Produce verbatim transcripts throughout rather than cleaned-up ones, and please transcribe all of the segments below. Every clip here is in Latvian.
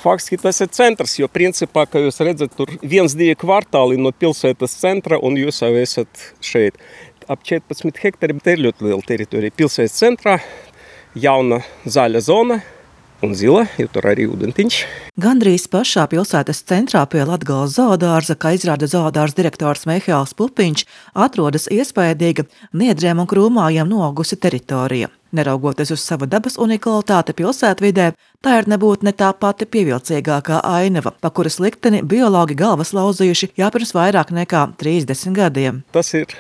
Faktiski tas ir centrs, jo principā, kā jūs redzat, tur viens, divi kvartāli no pilsētas centra un jūs jau esat šeit. Ap četrpadsmit hektari, te ir ļoti liela teritorija. Pilsētas centrā jauna zaļa zona un zila, jo tur arī ūdentiņš. Gandrīz pašā pilsētas centrā pie Latgales zoodārza, kā izrāda zoodārza direktors Mihāls Pupiņš, atrodas iespējīga niedriem un krūmājiem noaugusi teritorija. Neraugoties uz savu dabas unikalitāti pilsētvidē, tā ir nebūt ne tā pati pievilcīgākā ainava, pa kuras likteni biologi galvas lauzījuši jau pirms vairāk nekā trīsdesmit gadiem. Tas ir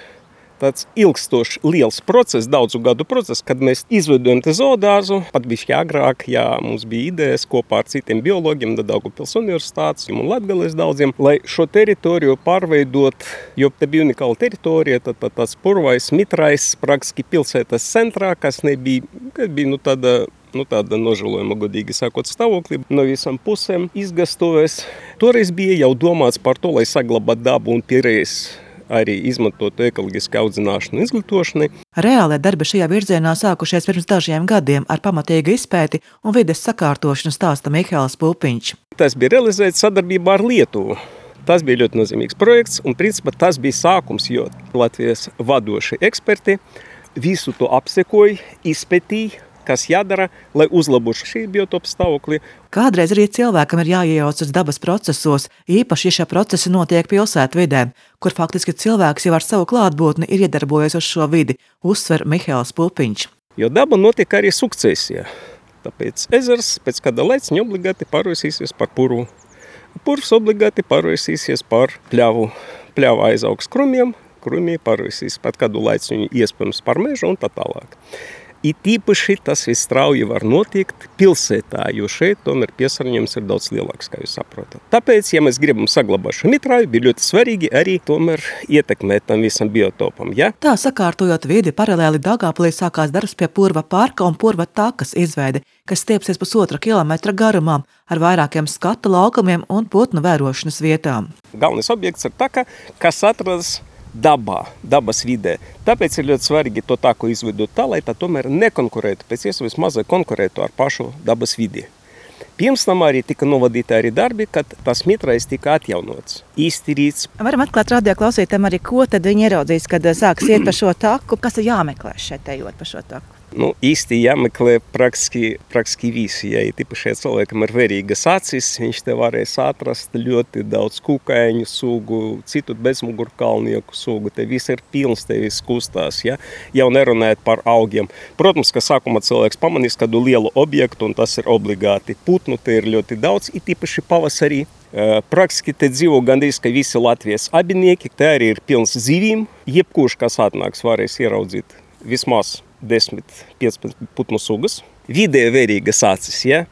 tāds ilgstošs, liels process, daudzu gadu process, kad mēs izveidojam te zoodārzu, pat bišķi agrāk, jā, mums bija idejas kopā ar citiem biologiem, Daugavpils universitātes un Latgales daudziem, lai šo teritoriju pārveidot, jo te bija unikāla teritorija, tad, tad tāds purvais, mitrais, praktiski pilsētas centrā, kas nebija, kad bija, nu, tāda, nu, tāda nožēlojama, godīgi sakot, stāvoklī, no visām pusēm izgastovēs. Toreiz bija jau domāts par to, lai saglabāt dabu un pierēs arī izmantot ekoloģisku audzināšanu un izglītošanai. Reālie darbi šajā virzienā sākušies pirms dažiem gadiem ar pamatīgu izpēti un vides sakārtošanu, stāsta Mihāls Pupiņš. Tas bija realizēts sadarbībā ar Lietuvu. Tas bija ļoti nozīmīgs projekts un principā tas bija sākums, jo Latvijas vadošie eksperti visu to apsekoja, izpētīja, kas jādara, lai uzlabotu šī biotopa stāvokli. Kādreiz arī cilvēkam ir jāiejaucas dabas procesos, īpaši, ja šie procesi notiek pilsētvidē, kur faktiski cilvēks jau ar savu klātbūtni ir iedarbojies uz šo vidi, uzsver Mihāls Pupiņš. Jo daba notiek arī sukcesijā. Tāpēc ezers pēc kāda laiciņa obligāti pārvērsīsies par purvu. Purvs obligāti pārvērsīsies par pļavu. Pļava aizaugs krumiem, krumī pārvērsīs pat kādu laiciņu iespējams par mežu un tā tālāk. It īpaši tas viss strauji var notiekt pilsētā, jo šeit tomēr piesārņojums ir daudz lielāks, kā jūs saprotat. Tāpēc, ja mēs gribam saglabāt šo mitrāju, bija ļoti svarīgi arī tomēr ietekmēt tam visam biotopam. Ja? Tā sakārtojot vidi, paralēli Daugavpilī sākās darbs pie purva parka un purva takas izveide, kas stiepsies pusotra kilometra garumā ar vairākiem skata laukumiem un putnu vērošanas vietām. Galvenais objekts ir taka, kas atrodas dabā, dabas vidē. Tāpēc ir ļoti svarīgi to taku izveidot tā, lai tā tomēr nekonkurētu, pēc iespējas mazai konkurētu ar pašu dabas vidi. Pirms tam arī tika novadīti arī darbi, kad tas mitrais tika atjaunots, iztīrīts. Varam atklāt radio klausītājiem arī, ko tad viņi ieraudzīs, kad sāks iet pa šo taku, kas ir jāmeklē šeit ejot pa šo taku. Nu, īsti jāmeklē praktiski, praktiski visi, ja tīpaši cilvēkam ir vērīgas acis, viņš te varēs atrast ļoti daudz kukaiņu sugu, citu bezmugurkalnieku sugu, te viss ir pilns, te viss kustās, ja? Jau nerunājot par augiem. Protams, ka sākumā cilvēks pamanīs kādu lielu objektu, un tas ir obligāti putnu, te ir ļoti daudz, it īpaši pavasarī. Praktiski te dzīvo gandrīz, ka visi Latvijas abinieki, te arī ir pilns zivīm, jebkurš, kas atnāks, varēs ieraudzīt vismaz desmit, piecpadsmit putnu sugas. Vidēji vērīgas acis, ja?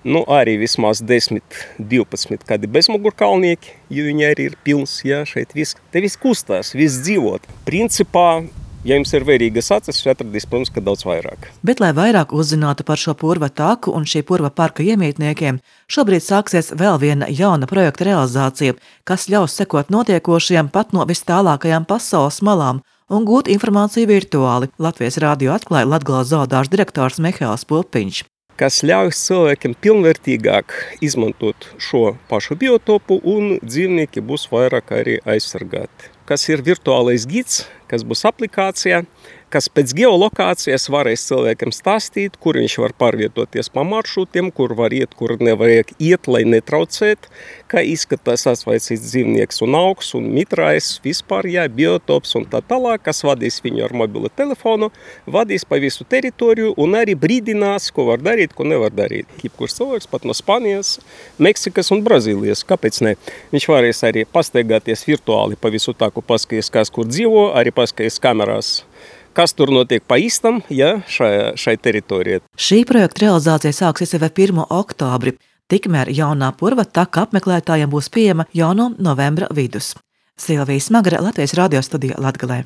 Nu, arī vismaz desmit, divpadsmit kādi bezmugurkalnieki, jo viņi arī ir pilns, ja? Šeit viss, te viss kustās, viss dzīvot. Principā, ja jums ir vērīgas acis, jūs atradīs, protams, ka daudz vairāk. Bet, lai vairāk uzzinātu par šo purva taku un šī purva parka iemītniekiem, šobrīd sāksies vēl viena jauna projekta realizācija, kas ļaus sekot notiekošajam pat no vis tālākajām pasaules malām un gūt informāciju virtuāli. Latvijas radio atklāja Latgales zoodārza direktors Mihāls Pupiņš. Kas ļauj cilvēkiem pilnvērtīgāk izmantot šo pašu biotopu un dzīvnieki būs vairāk arī aizsargāti. Kas ir virtuālais gids, kas būs aplikācijā, kas pēc geolokācijas varēs cilvēkiem stāstīt, kur viņš var pārvietoties pa maršrutiem, kur var iet, kur nevajag iet, lai netraucēt, kā izskatās atsvaicīts dzīvnieks un augs un mitrais, vispār, jā, biotops un tā tālāk, kas vadīs viņu ar mobilo telefonu, vadīs pa visu teritoriju un arī brīdinās, ko var darīt, ko nevar darīt. Jebkurš cilvēks pat no Spānijas, Meksikas un Brazīlijas, kāpēc ne? Viņš varēs arī pastaigāties virtuāli pa visu taku, paskaties, kas kur dzīvo, arī paskaties kamerās, kas tur notiek pa īstam, ja, šai, šai teritorijai. Šī projekta realizācija sāksies jau pirmo oktobri, tikmēr jaunā purva taka apmeklētājiem būs pieejama jau no novembra vidus. Silvija Smagare, Latvijas radio studija Latgalē.